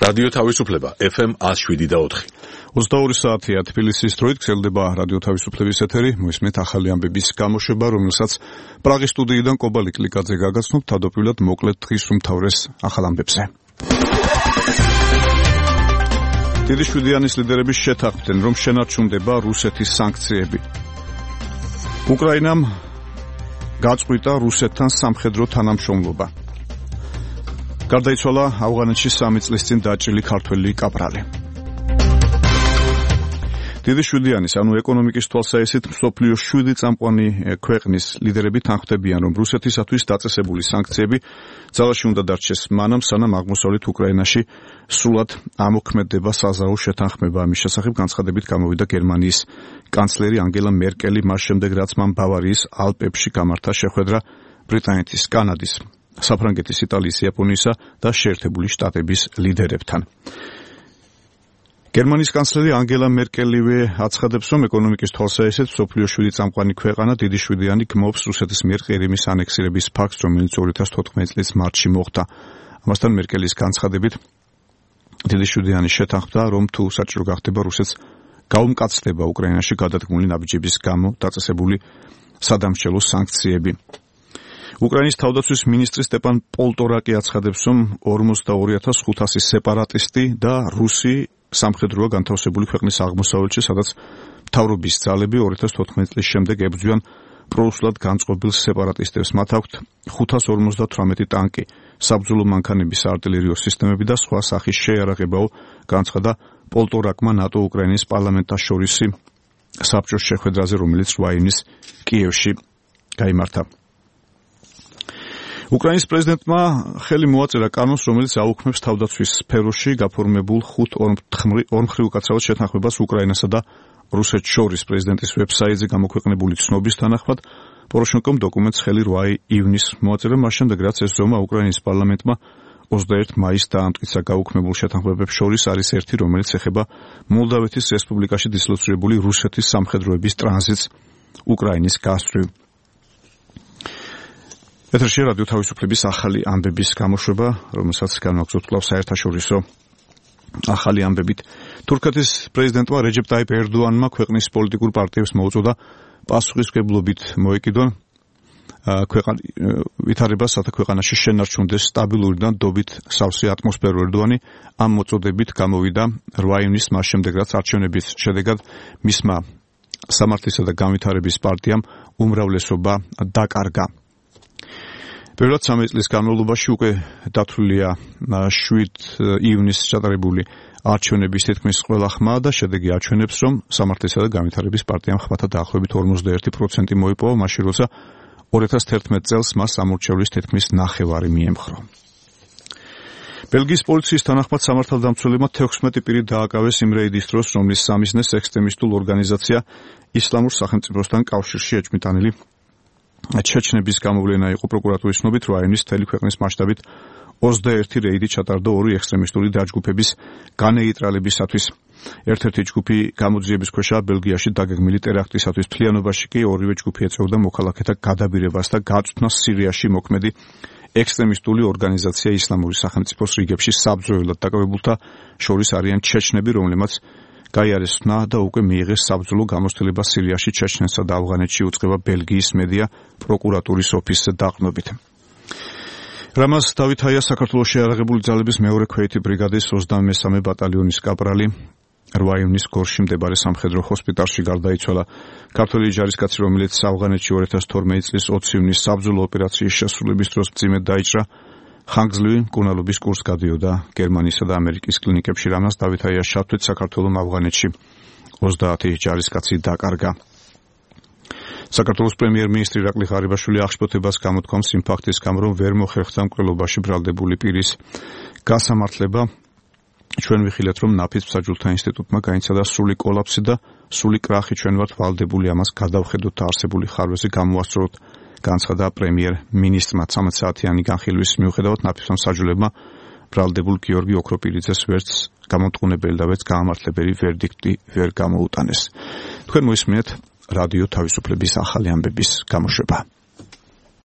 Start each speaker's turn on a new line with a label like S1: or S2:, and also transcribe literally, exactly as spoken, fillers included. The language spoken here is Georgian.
S1: რადიო თავისუფლება ეფ ემ ათს შვიდი და ოთხი.
S2: ოცდაორი საათია თბილისის დროით გრძელდება რადიო თავისუფლების ეთერი. მოისმენთ ახალი ამბების გამოშვება, რომელსაც პრაღის სტუდიიდან კობალიკ ლიკაძე გაგაცნობთ. თავდაპირველად მოკლედ დღის უმთავრეს ახალ ამბებზე. დიდი შვიდიანის ლიდერების შეთანხმდნენ, რომ შენარჩუნდება რუსეთის სანქციები. უკრაინამ გაწყვიტა რუსეთთან სამხედრო თანამშრომლობა. გარდაიცვალა ავღანეთში სამი წლის წინ დაჭრილი ქართველი კაპრალი. დიდი შვიდიანის, ანუ ეკონომიკის თვალსაჩინო მსოფლიოს შვიდი წამყვანი ქვეყნის ლიდერები თანხმდებიან, რომ რუსეთისათვის დაწესებული სანქციები ძალაში უნდა დარჩეს მანამ, სანამ აღმოსავლეთ უკრაინაში სრულად ამოქმედება საზავო შეთანხმება. ამის შესახებ განცხადებით გამოვიდა გერმანიის კანცლერი ანგელა მერკელი, მას შემდეგ რაც მან ბავარიის ალპებში გამართა შეხვედრა ბრიტანეთის, კანადის, საფრანგეთის, იტალიის, იაპონიისა და შეერთებული შტატების ლიდერებთან. გერმანიის კანცლერი ანგელა მერკელივე აცხადებს, რომ ეკონომიკის თვალსაჩინო მსოფლიოს შვიდი წამყვანი ქვეყანა დიდი შვიდიანი გმობს რუსეთის მიერ ყირიმის ანექსირების ფაქტს, რომელიც ორი ათას თოთხმეტი წლის მარტში მოხდა. ამასთან მერკელის განცხადებით დიდი შვიდიანი შეთანხმდა, რომ თუ საჭირო გახდება რუსეთს გაუმკაცრდება უკრაინაში გადადგმული ნაბიჯების გამო დაწესებული სადამსჯელო სანქციები. უკრაინის თავდაცვის მინისტრი სტეპან პოლტორაკი აცხადებს, რომ ორმოცდაორი ათას ხუთასი სეპარატისტი და რუსი სამხედროა განთავსებული ქვეყნის აღმოსავლეთში, სადაც მთავრობის ძალები ორი ათას თოთხმეტი წლის შემდეგ ებრძვიან პრორუსულად განწყობილ სეპარატისტებს. მათ აქვთ ხუთას ორმოცდათვრამეტი ტანკი, საბრძოლო მანქანების არტილერიო სისტემები და სხვა სახის შეიარაღებაო, განცხადა პოლტორაკმა ნატო-უკრაინის პარლამენტაშორისი საბჭოს შეხვედრაზე, რომელიც რვა ივნისს კიევში გაიმართა. უკრაინის პრეზიდენტმა ხელი მოაწერა კანონს, რომელიც აუქმებს თავდაცვის სფეროში გაფორმებულ ხუთ ორმხრივ უკაცრავად შეთანხმებას უკრაინასა და რუსეთს შორის. პრეზიდენტის ვებსაიტზე გამოქვეყნებული ცნობის თანახმად პოროშენკომ დოკუმენტს ხელი რვა ივნისს მოაწერა, მას შემდეგ რაც ეს ზომა უკრაინის პარლამენტმა ოცდაერთი მაისს დაამტკიცა. გაუქმებულ შეთანხმებებს შორის არის ერთი, რომელიც ეხება მოლდავეთის რესპუბლიკაში დისლოცირებული რუსეთის სამხედროების ტრანზიტს უკრაინის გასწვრივ. ეთერში რადიო თავისუფლების ახალი ამბების გამოშვება, რომელსაც განვაგრძობთ კვლავ საერთაშორისო ახალი ამბებით. თურქეთის პრეზიდენტმა რეჯეპ ტაიპ ერდოანმა ქვეყნის პოლიტიკურ პარტიებს მოუწოდა პასუხისმგებლობით მოეკიდონ ვითარებას, რათა ქვეყანაში შენარჩუნდეს სტაბილური და ნდობით სავსე ატმოსფერო. ერდოანი ამ მოწოდებით გამოვიდა რვა ივნისს, მას შემდეგ რაც არჩევნების შედეგად მისმა სამართლისა და განვითარების პარტიამ უმრავლესობა დაკარგა. პირველად სამი წლის განმავლობაში უკვე დათვლილია შვიდ ივნისს ჩატარებული არჩევნების თითქმის ყველა ხმა და შედეგი აჩვენებს, რომ სამართლისა და განვითარების პარტიამ ხმათა დაახლოებით ორმოცდაერთი პროცენტი მოიპოვა, მაშინ როცა ორი ათას თერთმეტი წელს მას სამორჩევლის თითქმის ნახევარი მიემხრო. ბელგიის პოლიციის თანახმად სამართალდამცველებმა თექვსმეტი პირი დააკავეს იმ რეიდის დროს, რომლის სამიზნეს ექსტრემისტულ ორგანიზაცია ისლამურ სახელმწიფოსთან კავშირში ეჭვმიტანილი ჩეჩნების გამოვლენა იყო. პროკურატურის ცნობით რვა ივნისს მთელი ქვეყნის მასშტაბით ოცდაერთი რეიდი ჩატარდა ორი ექსტრემისტული დაჯგუფების განეიტრალებისათვის. ერთ-ერთი ჯგუფი გამოძიების ქვეშაა ბელგიაში დაგეგმილი ტერაქტისათვის. მთლიანობაში კი ორივე ჯგუფი ეწეოდა მოქალაქეთა გადაბირებას და გაწვდნას სირიაში მოქმედი ექსტრემისტული ორგანიზაცია ისლამური სახელმწიფოს რიგებში საბრძოლველად დაკავებულთა შორის არიან ჩეჩნები, რომლებმაც გაიარესნა და უკვე მიიღეს საბრძოლო გამოცდილება სირიაში, ჩეჩნეთსა და ავღანეთში, უწყება ბელგიის მედია პროკურატურის ოფისზე დაყრდნობით. რამაზ დავითაია საქართველოს შეიარაღებული ძალების მეორე ქვეითი ბრიგადის ოცდამესამე ბატალიონის კაპრალი რვა ივნისს გორში მდებარე სამხედრო ჰოსპიტალში გარდაიცვალა. ქართველი ჯარისკაცი, რომელიც ავღანეთში ორი ათას თორმეტი წლის ოცი ივნისს საბრძოლო ოპერაციის შესრულების დროს მძიმედ დაიჭრა, ხანგრძლივი მკურნალობის კურსს გადიოდა გერმანიისა და ამერიკის კლინიკებში. რამაზ დავითაიას შავთვით საქართველოს ავღანეთში ოცდაათი ჯარისკაცი დაკარგა. საქართველოს პრემიერ-მინისტრი ირაკლი ღარიბაშვილი აღშფოთებას გამოთქვამს იმ ფაქტის გამო, რომ ვერ მოხერხდა მკვლელობაში ბრალდებული პირის გასამართლება. ჩვენ ვიხილეთ, რომ ნაფიც მსაჯულთა ინსტიტუტმა გაიცადა სრული კოლაფსი და სრული კრახი. ჩვენ ვართ ვალდებული ამას გადავხედოთ და არსებული ხარვეზე გამოვასწოროთ, განცხადა პრემიერ-მინისტრმა. ცამეტ საათიანი განხილვის მიუხედავად ნაფიც მსაჯულებმა ბრალდებულ გიორგი ოქროპირიძეს ვერც გამომტყუნებელი და ვერც გაამართლებელი ვერდიქტი ვერ გამოუტანეს. თქვენ მოისმინეთ რადიო თავისუფლების ახალი ამბების გამოშვება.